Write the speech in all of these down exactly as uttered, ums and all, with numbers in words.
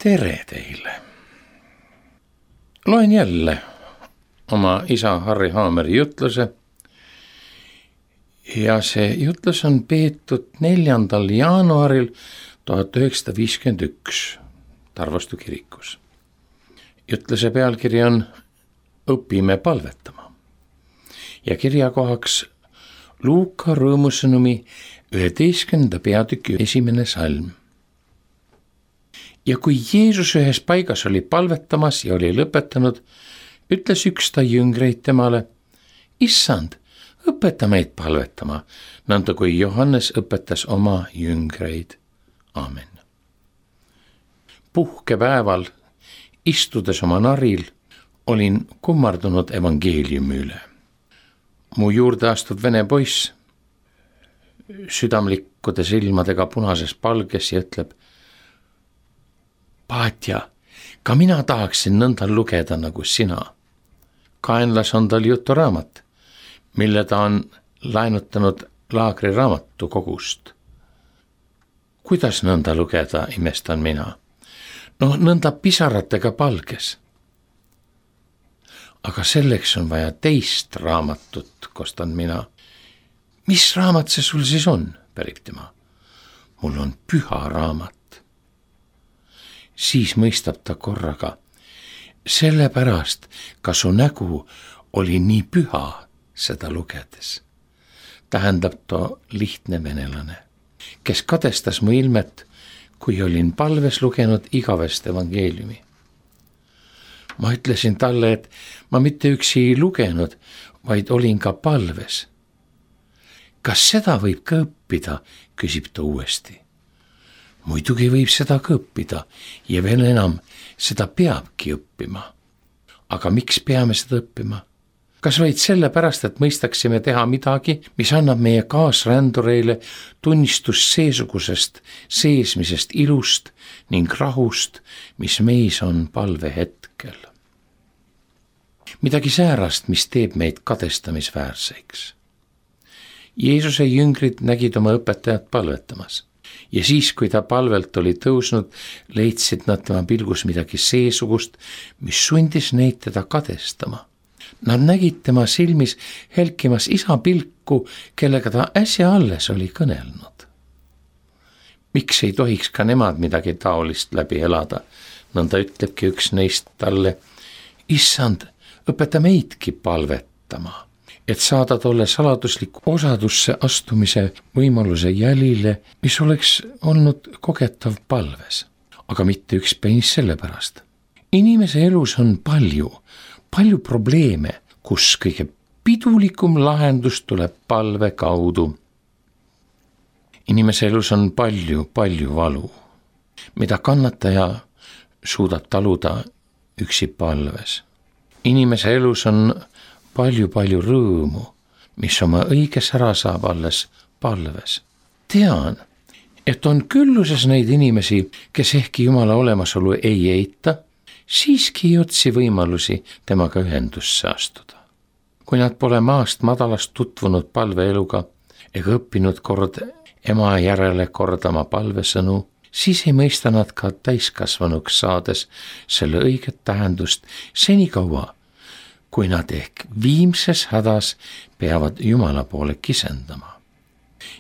Tere teile! Loen jälle oma isa Harri Haameri jutluse ja see jutlus on peetud neljandal jaanuaril tuhat üheksasada viiskümmend üks Tarvastu kirikus. Jutluse pealkiri on Õpime palvetama ja kirjakohaks Luuka rõõmusõnumi üheteistkümnenda peatüki esimene salm. Ja kui Jeesus ühes paigas oli palvetamas ja oli lõpetanud, ütles üks ta jüngreid temale, Issand, õpeta meid palvetama, nõnda kui Johannes õpetas oma jüngreid. Aamen. Puhkepäeval, istudes oma naril, olin kummardunud evangeeliumi üle. Mu juurde astud vene poiss, südamlikkude silmadega punases palges ja ütleb, Paatja, ka mina tahaksin nõnda lugeda nagu sina. Kaenlas on tal juturaamat, mille ta on laenutanud laagri raamatu kogust. Kuidas nõnda lugeda, imestan mina? No nõnda pisaratega palges. Aga selleks on vaja teist raamatut, kostan mina. Mis raamat see sul siis on, pärib tema? Mul on püha raamat. Siis mõistab ta korraga, sellepärast ka su nägu oli nii püha seda lugedes. Tähendab to lihtne venelane, kes kadestas mu ilmet, kui olin palves lugenud igavest evangeeliumi. Ma ütlesin talle, et ma mitte üksi ei lugenud, vaid olin ka palves. Kas seda võib ka õppida, küsib ta uuesti. Muidugi võib seda ka õppida ja veel enam, seda peabki õppima. Aga miks peame seda õppima? Kas vaid sellepärast, et mõistaksime teha midagi, mis annab meie kaasrändureile tunnistust seesugusest seesmisest ilust ning rahust, mis meis on palve hetkel. Midagi säärast, mis teeb meid kadestamisväärseks. Jeesuse jüngrid nägid oma õpetajat palvetamas. Ja siis, kui ta palvelt oli tõusnud, leidsid nad tema pilgus midagi seesugust, mis sundis neid teda kadestama. Nad nägid tema silmis helkimas isa pilku, kellega ta äsja alles oli kõnelnud. Miks ei tohiks ka nemad midagi taolist läbi elada? Nõnda ütlebki üks neist talle, Issand, õpeta meidki palvetama, et saada tolle saladusliku osadusse astumise võimaluse jälile, mis oleks olnud kogetav palves, aga mitte ükspäis sellepärast. Inimese elus on palju, palju probleeme, kus kõige pidulikum lahendus tuleb palve kaudu. Inimese elus on palju, palju valu, mida kannataja suudab taluda üksi palves. Inimese elus on palju-palju rõõmu, mis oma õiges ära saab alles palves. Tean, et on külluses neid inimesi, kes ehkki Jumala olemasolu ei eita, siiski ei otsi võimalusi temaga ühendusse astuda. Kui nad pole maast madalast tutvunud palveeluga ega õppinud kord ema järele kordama palvesõnu, siis ei mõista nad ka täiskasvanuks saades selle õiget tähendust senikaua, kui nad ehk viimses hädas peavad Jumala poole kisendama.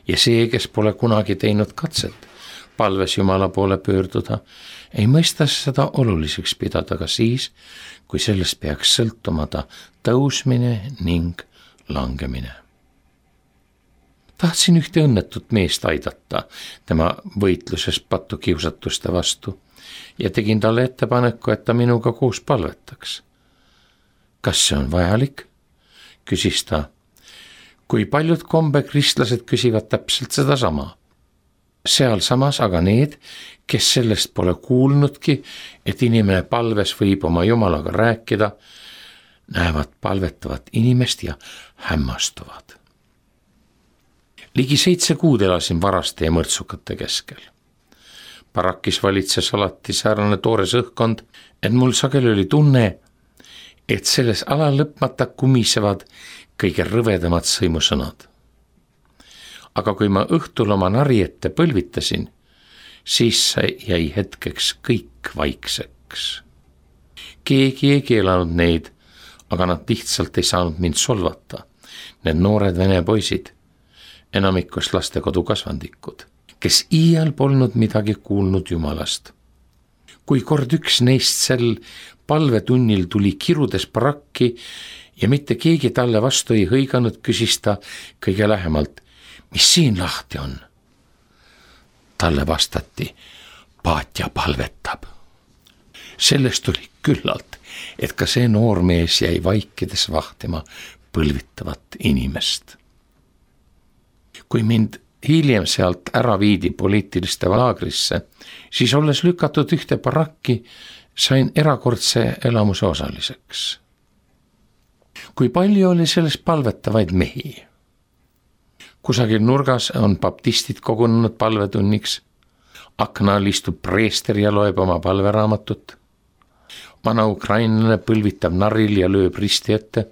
Ja see, kes pole kunagi teinud katset palves Jumala poole pöörduda, ei mõista seda oluliseks pidada ka siis, kui sellest peaks sõltuma ta tõusmine ning langemine. Tahtsin ühte õnnetut meest aidata tema võitluses patukiusatuste vastu ja tegin talle ettepaneku, et ta minuga koos palvetaks. Kas see on vajalik? Küsis ta. Kui paljud kombekristlased küsivad täpselt seda sama. Seal samas aga need, kes sellest pole kuulnudki, et inimene palves võib oma Jumalaga rääkida, näevad palvetavat inimest ja hämmastuvad. Ligi seitse kuud elasin varaste ja mõrtsukate keskel. Barakis valitses alati säärane toores õhkkond, et mul sageli oli tunne, et selles ala lõpmata kumisevad kõige rõvedamad sõimusõnad. Aga kui ma õhtul oma nari ette põlvitasin, Siis jäi hetkeks kõik vaikseks. Keegi ei keelanud neid, aga nad lihtsalt ei saanud mind solvata. Need noored vene poisid, enamikus lastekodu kasvandikud, kes iial polnud midagi kuulnud Jumalast. Kui kord üks neist sel palvetunnil tuli kirudes barakki ja mitte keegi talle vastu ei hõiganud, küsis ta kõige lähemalt, mis siin lahti on? Talle vastati, paatja palvetab. Sellest oli küllalt, et ka see noormees jäi vaikides vahtima põlvitavat inimest. Kui mind hiljem sealt ära viidi poliitiliste laagrisse, siis olles lükatud ühte barakki, sain erakordse elamuse osaliseks. Kui palju oli selles palvetavaid mehi? Kusagil nurgas on baptistid kogunenud palvetunniks, akna all istub preester ja loeb oma palveraamatut, vana ukrainlane põlvitab narril ja lööb risti ette,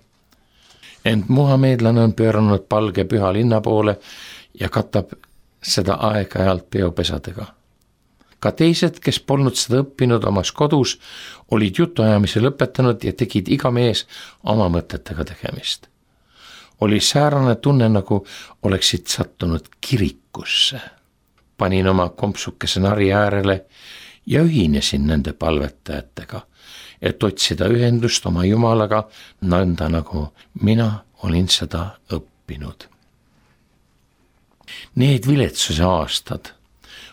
ent muhamedlane on pööranud palge püha linna poole ja katab seda aeg-ajalt peopesadega. Ka teised, kes polnud seda õppinud omas kodus, olid jutuajamise lõpetanud ja tegid iga mees oma mõtetega tegemist. Oli säärane tunne, nagu oleksid sattunud kirikusse. Panin oma kompsukese nari äärele ja ühinesin nende palvetajatega, et otsida ühendust oma Jumalaga, nõnda nagu mina olin seda õppinud. Need viletsuse aastad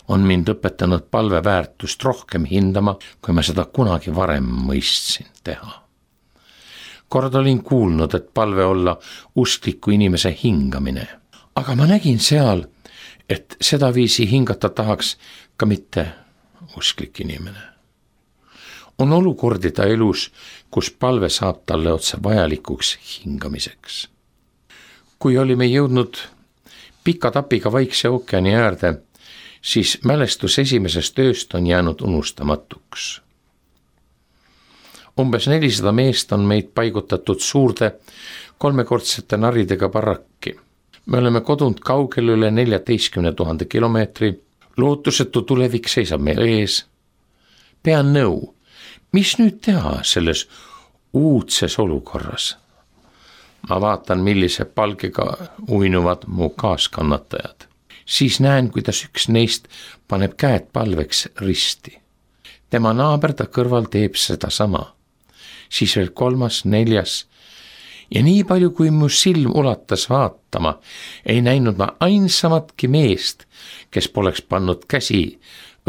on mind õpetanud palve väärtust rohkem hindama, kui ma seda kunagi varem mõistsin teha. Kord olin kuulnud, et palve olla uskliku inimese hingamine, aga ma nägin seal, et seda viisi hingata tahaks ka mitte usklik inimene. On olukordi ta elus, kus palve saab talle otse vajalikuks hingamiseks. Kui olime jõudnud pika tapiga Vaikse ookeani äärde, siis mälestus esimesest ööst on jäänud unustamatuks. Umbes nelisada meest on meid paigutatud suurde kolmekordsete naridega barakki. Me oleme kodunud kaugel üle neljateistkümne tuhande kilomeetri, lootusetu tulevik seisab meil ees. Pean nõu, mis nüüd teha selles uudses olukorras? Ma vaatan, millise palgiga uinuvad mu kaaskannatajad. Siis näen, kuidas üks neist paneb käed palveks risti. Tema naaber ta kõrval teeb seda sama. Siis veel kolmas, neljas. Ja nii palju, kui mu silm ulatas vaatama, ei näinud ma ainsamatki meest, kes poleks pannud käsi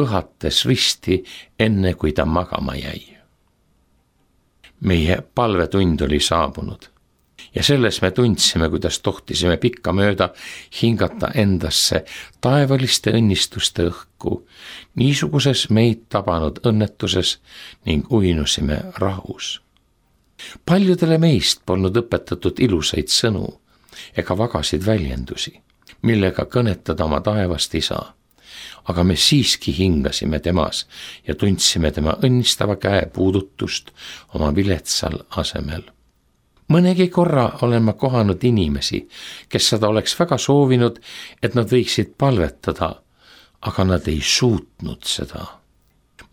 õhates risti, enne kui ta magama jäi. Meie palvetund oli saabunud. Ja selles me tundsime, kuidas tohtisime pikka mööda hingata endasse taevaliste õnnistuste õhku, niisuguses meid tabanud õnnetuses ning uinusime rahus. Paljudele meist polnud õpetatud ilusaid sõnu ega vagasid väljendusi, millega kõnetada oma taevast isa, aga me siiski hingasime temas ja tundsime tema õnnistava käe puudutust oma viletsal asemel. Mõnegi korra olen ma kohanud inimesi, kes seda oleks väga soovinud, et nad võiksid palvetada, aga nad ei suutnud seda.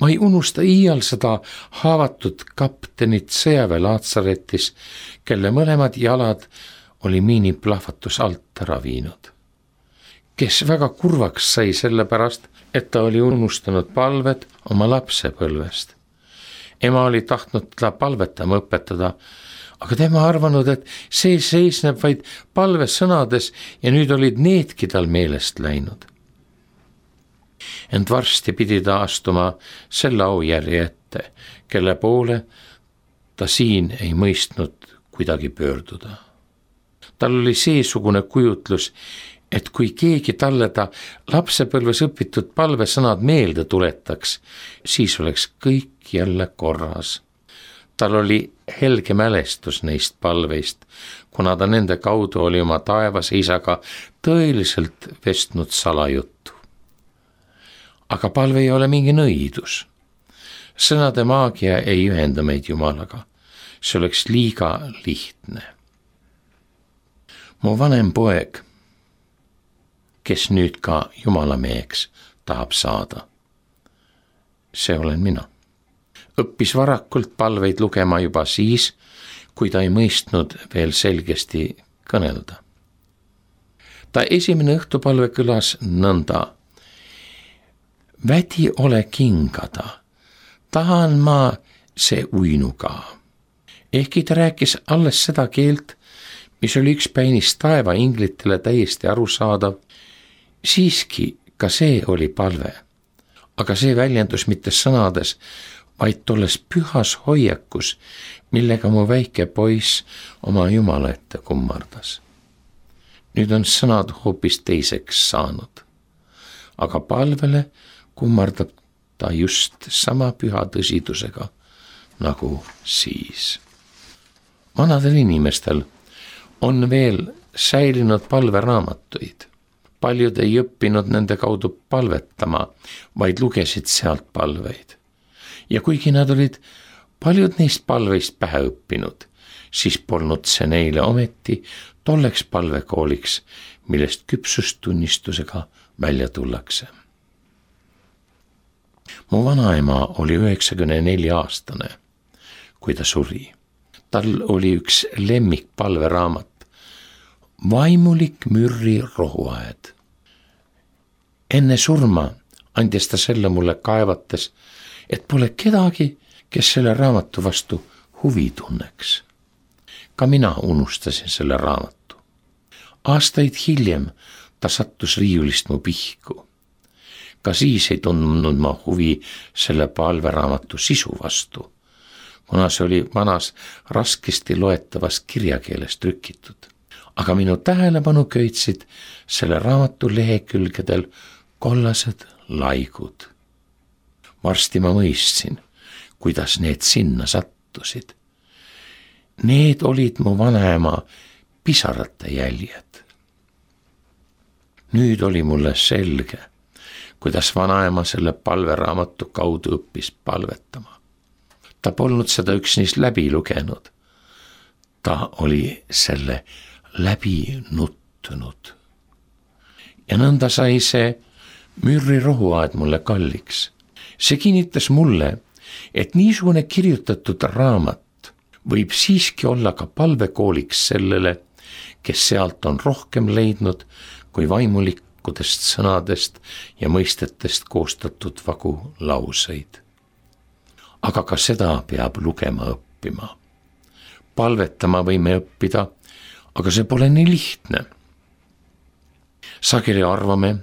Ma ei unusta iial seda haavatud kaptenit sõjaväe Laatsaretis, kelle mõlemad jalad oli miiniplahvatus alt ära viinud. Kes väga kurvaks sai selle pärast, et ta oli unustanud palved oma lapsepõlvest. Ema oli tahtnud teda palvetama õpetada, aga tema arvanud, et see seisneb vaid palvesõnades ja nüüd olid needki tal meelest läinud. Ent varsti pidi ta astuma selle aujärje ette, kelle poole ta siin ei mõistnud kuidagi pöörduda. Tal oli seesugune kujutlus, et kui keegi talle ta lapsepõlves õpitud palvesõnad meelde tuletaks, siis oleks kõik jälle korras. Tal oli helge mälestus neist palveist, kuna ta nende kaudu oli oma taevase isaga tõeliselt vestnud salajuttu. Aga palve ei ole mingi nõidus. Sõnade maagia ei ühenda meid Jumalaga. See oleks liiga lihtne. Mu vanem poeg, kes nüüd ka Jumala meheks tahab saada, see olen mina. Õppis varakult palveid lugema juba siis, kui ta ei mõistnud veel selgesti kõnelda. Ta esimene õhtupalve kõlas nõnda. Vädi ole kingada, tahan ma see uinuga. Ehkki ta rääkis alles seda keelt, mis oli üks päinis taeva inglitele täiesti arusaadav, siiski ka see oli palve. Aga see väljendus mitte sõnades, vaid tolles pühas hoiakus, millega mu väike poiss oma Jumala ette kummardas. Nüüd on sõnad hoopis teiseks saanud, aga palvele kummardab ta just sama püha tõsidusega nagu siis. Vanadel inimestel on veel säilinud palveraamatuid. Paljud ei õppinud nende kaudu palvetama, vaid lugesid sealt palveid. Ja kuigi nad olid paljud neist palveist pähe õppinud, siis polnud see neile ometi tolleks palvekooliks, millest küpsustunnistusega välja tullakse. Mu vanaema oli üheksakümne nelja aastane, kui ta suri. Tal oli üks lemmik palveraamat, Vaimulik mürri rohuaed. Enne surma andis ta selle mulle kaevates, et pole kedagi, kes selle raamatu vastu huvi tunneks. Ka mina unustasin selle raamatu. Aastaid hiljem ta sattus riiulist mu pihku. Ka siis ei tundnud ma huvi selle palveraamatu sisu vastu, kuna see oli vanas raskesti loetavas kirjakeeles trükitud. Aga minu tähelepanu köitsid selle raamatu lehekülgedel kollased laigud. Varsti ma mõistsin, kuidas need sinna sattusid. Need olid mu vanaema pisarate jäljed. Nüüd oli mulle selge, kuidas vanaema selle palveraamatu kaudu õppis palvetama. Ta polnud seda üksnes läbi lugenud. Ta oli selle läbi nuttunud. Ja nõnda sai see mürri rohuaed mulle kalliks. See kinnitas mulle, et niisugune kirjutatud raamat võib siiski olla ka palvekooliks sellele, kes sealt on rohkem leidnud kui vaimulikudest sõnadest ja mõistetest koostatud vagu lauseid. Aga ka seda peab lugema õppima. Palvetama võime õppida, aga see pole nii lihtne. Sageli arvame,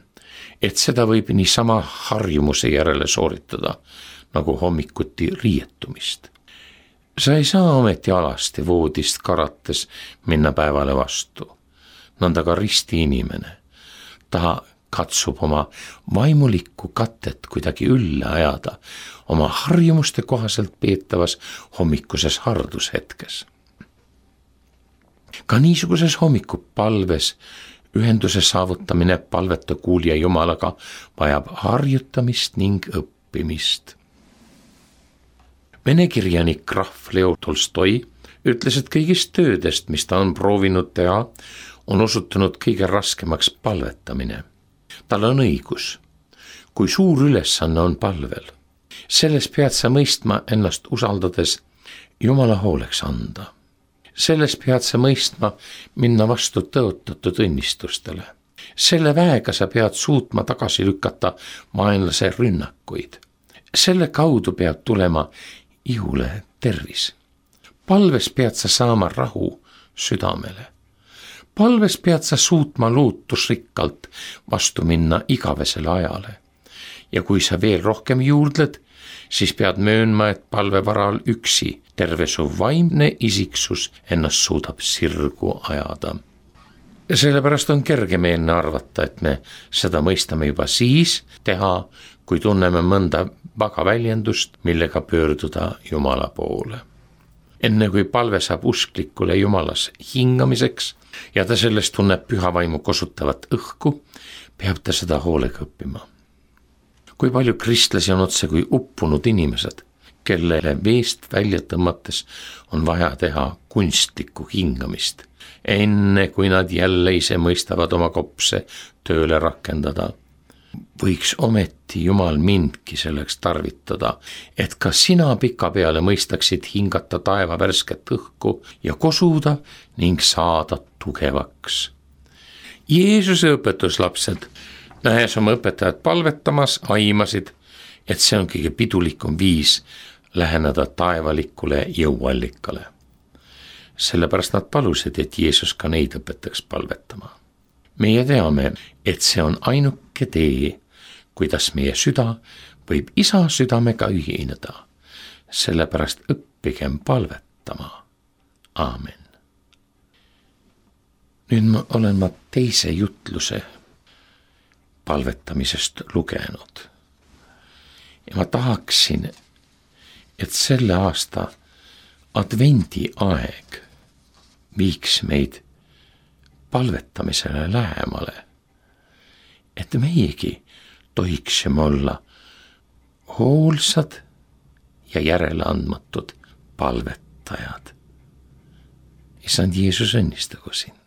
et seda võib niisama harjumuse järele sooritada, nagu hommikuti riietumist. Sa ei saa ometi alasti voodist karates minna päevale vastu. Nõnda ka risti inimene. Ta katsub oma vaimulikku katet kuidagi ülle ajada oma harjumuste kohaselt peetavas hommikuses hardushetkes. Ka niisuguses hommikupalves ühenduse saavutamine palveta kuulija Jumalaga vajab harjutamist ning õppimist. Vene kirjanik Graf Leo Tolstoi ütles, et kõigist töödest, mis ta on proovinud teha, on osutunud kõige raskemaks palvetamine. Tal on õigus, kui suur ülesanne on palvel. Selles pead sa mõistma ennast usaldades Jumala hooleks anda. Selles pead sa mõistma minna vastu tõotatud õnnistustele. Selle väega sa pead suutma tagasi lükata vaenlase rünnakuid. Selle kaudu peab tulema ihule tervis. Palves pead sa saama rahu südamele. Palves pead sa suutma lootusrikkalt vastu minna igavesele ajale. Ja kui sa veel rohkem juurdled, siis pead möönma, et palve varal üksi terve su vaimne isiksus ennast suudab sirgu ajada. Sellepärast on kergemeelne arvata, et me seda mõistame juba siis teha, kui tunneme mõnda vaga väljendust, millega pöörduda Jumala poole. Enne kui palve saab usklikule Jumalas hingamiseks ja ta sellest tunneb püha vaimu kosutavat õhku, peab ta seda hoolega õppima. Kui palju kristlasi on otse kui uppunud inimesed, kellele veest välja tõmmates on vaja teha kunstlikku hingamist, enne kui nad jälle ise mõistavad oma kopse tööle rakendada. võiks ometi Jumal mindki selleks tarvitada, et ka sina pikapeale mõistaksid hingata taeva värsket õhku ja kosuda ning saada tugevaks. Jeesuse õpetuslapsed, nähes oma õpetajat palvetamas, aimasid, et see on kõige pidulikum viis läheneda taevalikule jõuallikale. Sellepärast nad palusid, et Jeesus ka neid õpetaks palvetama. Meie teame, et see on ainuke tee, kuidas meie süda võib Isa südamega ühineda. Sellepärast õppigem palvetama. Aamen. Nüüd ma olen ma teise jutluse palvetamisest lugenud. Ja ma tahaksin, et selle aasta advendi aeg viiks meid palvetamisele lähemale, et meiegi tohiksime olla hoolsad ja järeleandmatud palvetajad. Issand Jeesus õnnistagu sind.